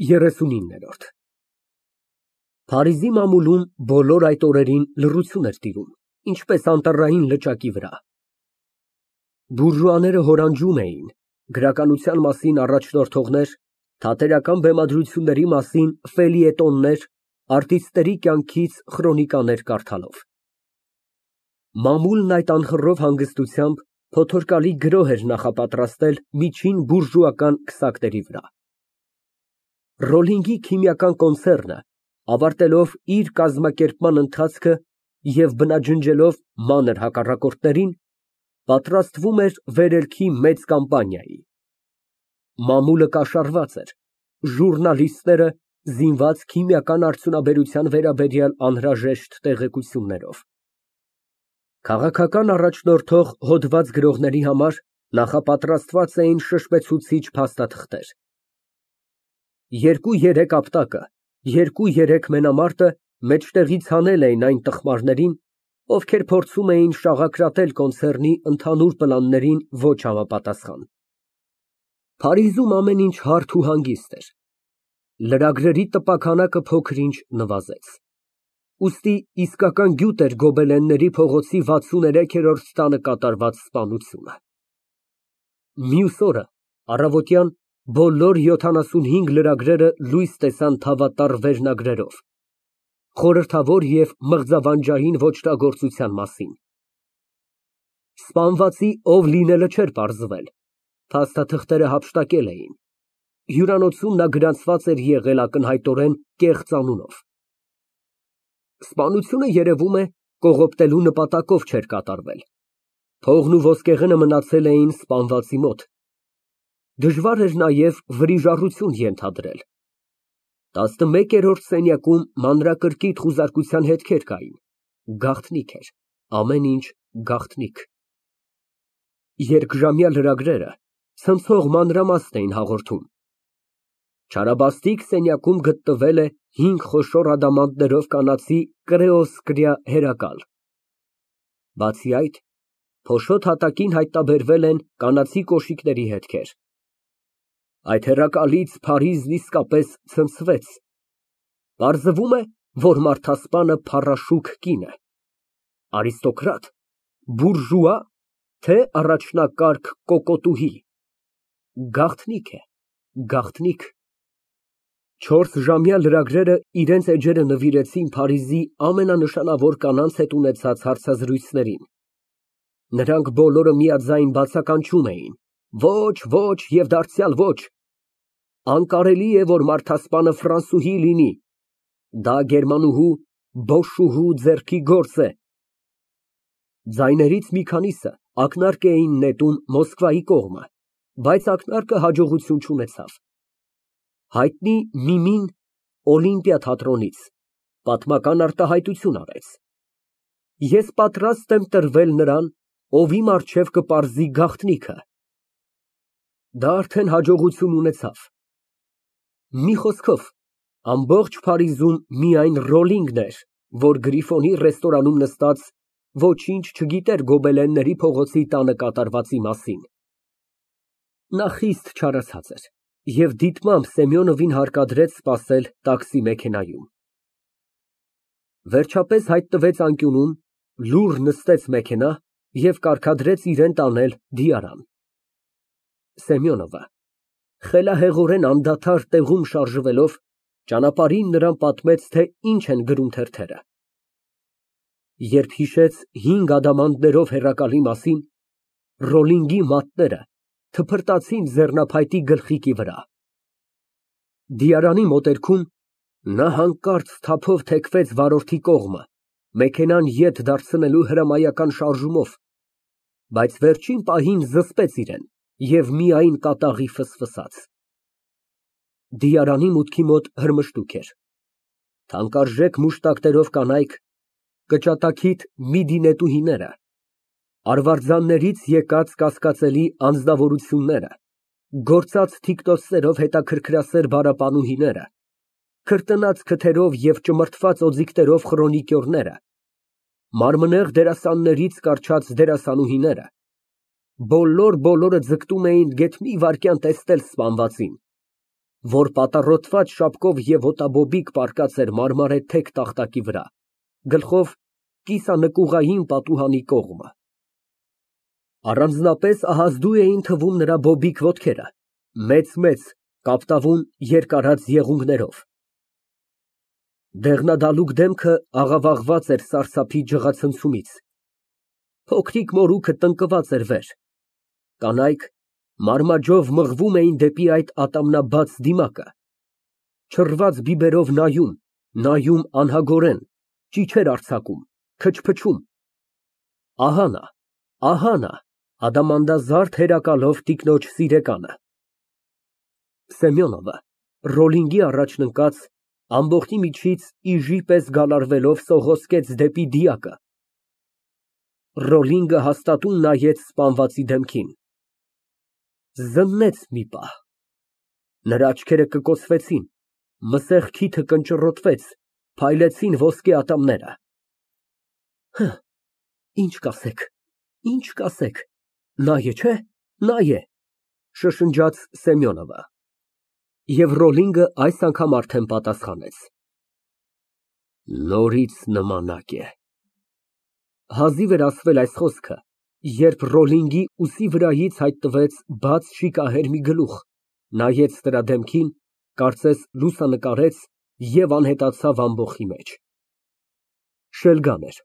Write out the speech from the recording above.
39։ Փարիզի մամուլում բոլոր այդ օրերին լռություն էր տիրում, ինչպես անտառային լճակի վրա։ Բուրժուաները հորանջում էին, գրականության մասին առաջնորդողներ, թատերական բեմադրությունների մասին ֆելիետոններ, արտիստների կյանքից խրոնիկաներ կարդալով։ Մամուլն այդ անխռով հանգստությամբ փոթորկալի գրոհ էր նախապատրաստել միջին բուրժուական քսակների վրա։ Ռոլլինգի քիմիական կոնցեռնը, ավարտելով իր կազմակերպման ընթացքը և բնաջնջելով մանր հակառակորդներին, պատրաստվում էր վերելքի մեծ կամպանիայի։ Մամուլը կաշառված էր, ժուռնալիստները զինված քիմիական արդյունաբերության վերաբերյալ անհրաժեշտ տեղեկություններով։ Քաղաքական առաջնորդող հոդված գրողների համար նախապատրաստված էին շշմեցուցիչ փաստաթղթեր։ 2-3 ապտակը, 2-3 մենամարտը մեջտեղից հանել էին այն տխմարներին, ովքեր փորձում էին շաղակրատել կոնցեռնի ընդհանուր պլաններին ոչ համապատասխան։ Փարիզում ամեն ինչ հարթ ու հանգիստ էր։ Լրագրերի տպաքանակը փոքր-ինչ նվազեց։ Ուստի իսկական գյուտ էր Գոբելենների փողոցի 63-րդ տանը կատարված սպանությունը։ Մյուս օրը առավոտյան բոլոր 75 լրագրերը լույս տեսան թավատառ վերնագրերով, խորհրդավոր և մղձավանջային ոճրագործության մասին։ Սպանվածի ով լինելը չէր պարզվել, փաստաթղթերը հափշտակել էին։ Հյուրանոցում նա գրանցված էր եղել ակնհայտորեն կեղծ անունով։ Սպանությունը, երևում է, կողոպտելու նպատակով չէր կատարվել։ Փողն ու ոսկեղենը մնացել էին սպանվածի մոտ։ Դժվար էր նաև վրիժառություն ենթադրել։ 11-րդ սենյակում մանրակրկիտ խուզարկության հետքեր կային։ Գաղտնիք էր, ամեն ինչ գաղտնիք։ Երկժամյա լրագրերը ցնցող մանրամաստ էին հաղորդում։ Չարաբաստիկ սենյակում գտնվել է 5 խոշոր ադամանդներով կանացի կրեոսկրյա հերակալ։ Բացի այդ, փոշոտ հատակին հայտնաբերվել են կանացի կոշիկների հետքեր։ Այդ հեռակալից Փարիզն իսկապես ցնցվեց։ Պարզվում է, որ մարդասպանը փառաշուք կին է։ Արիստոկրատ, բուրժուա, թե առաջնակարգ կոկոտուհի։ Գաղտնիք է, գաղտնիք։ 4-ժամյա լրագրերը իրենց էջերը նվիրեցին Փարիզի ամենանշանավոր կանանց հետ ունեցած հարցազրույցներին։ Նրանք բոլորը միաձայն բացականչում էին. ոչ, ոչ և դարձյալ ոչ։ Անկարելի է, որ մարդասպանը ֆրանսուհի լինի, դա գերմանուհու, բոշուհու ձեռքի գործ է։ Ձայներից մի քանիսը ակնարկ էին նետում Մոսկվայի կողմը, բայց ակնարկը հաջողություն չունեցավ։ Հայտնի Միմին Օլիմպիա թատրոնից պատմական արտահայտություն արեց։ Ես պատրաստ եմ տրվել նրան, ով իմ առջև կպարզի գաղտնիքը։ Դա արդեն հաջողություն ունեցավ։ Մի խոսքով, ամբողջ Փարիզում միայն Ռոլլինգն էր, որ Գրիֆոնի ռեստորանում նստած ոչինչ չգիտեր Գոբելենների փողոցի տանը կատարվածի մասին։ Նա խիստ չարացած էր և դիտմամբ Սեմյոնովին հարկադրեց սպասել տաքսի մեքենայում։ Վերջապես հայտնվեց անկյունում, լուռ նստեց մեքենա և կարգադրեց իրան տանել Դիարան։ Սեմյոնովը խելահեղորեն անդադար տեղում շարժվելով, ճանապարհին նրան պատմեց, թե ինչ են գրում թերթերը։ Երբ հիշեց 5 ադամանդներով հեռակալի մասին, Ռոլլինգի մատները թփրտացին ձեռնափայտի գլխիկի վրա։ Դիարանի մոտերքում նա հանկարծ թափով թեքվեց վարորդի կողմը, մեքենան ետ դարձնելու հրամայական շարժումով, բայց վերջին պահին զսպեց իրեն և միայն կատաղի ֆսֆսաց։ Դիարանի մուտքի մոտ հրմշտուք էր։ Թանկարժեք մուշտակներով կանայք, կճատակիթ միդինետուհիները, արվարձաններից եկած կասկածելի անձնավորությունները, գործած թիկնոցներով հետաքրքրասեր բառապանուհիները, քրտնած քթերով և ճմրթված օձիքներով խրոնիկյորները, մարմնեղ դերասաններից կառչած դերասանուհիները, բոլորը ձգտում էին գեթ մի վայրկյան տեսնել սպանվածին, որ պատառոտված շապկով և ոտաբոբիկ պառկած էր մարմարե թեք տախտակի վրա, գլխով կիսանկուղային պատուհանի կողմը։ Առանձնապես ահազդու էին թվում նրա բոբիկ ոտքերը, մեծ կապտավուն երկարած եղունգներով։ Դեղնադալուկ դեմքը աղավաղված էր սարսափի ջղացնցումից, փոքրիկ մորուքը տնկված էր վեր, կանայք մարմաջով մղվում էին դեպի այդ ատամնաբաց դիմակը, չռված բիբերով նայում անհագորեն, ճիչեր արձակում, քչփչում։ Ահա նա, ադամանդազարդ հերակալով տիկնոջ սիրեկանը։ Սեմյոնովը Ռոլինգի առաջ ընկած, ամբոխի միջից իժի պես գալարվելով սողոսկեց դեպի դիակը։ Ռոլինգը հաստատուն նայեց սպանվածի դեմքին, զննեց մի պահ, նրա աչքերը կկոցվեցին, մսեղ քիթը կնճռոտվեց, փայլեցին ոսկե ատամները։ Ինչ կասեք, նա է, չէ՞, նա է, շշնջաց Սեմյոնովը։ Եվ Ռոլինգը այս անգամ արդեն պատասխանեց. Նորից նմանակ է։ Հազիվ էր ասվել այս խոսքը, երբ Ռոլինգի ուսի վրայից հայտնվեց բաց շիկահեր մի գլուխ, նայեց նրա դեմքին, կարծես լուսանկարեց և անհետացավ ամբոխի մեջ։ Շելգան էր։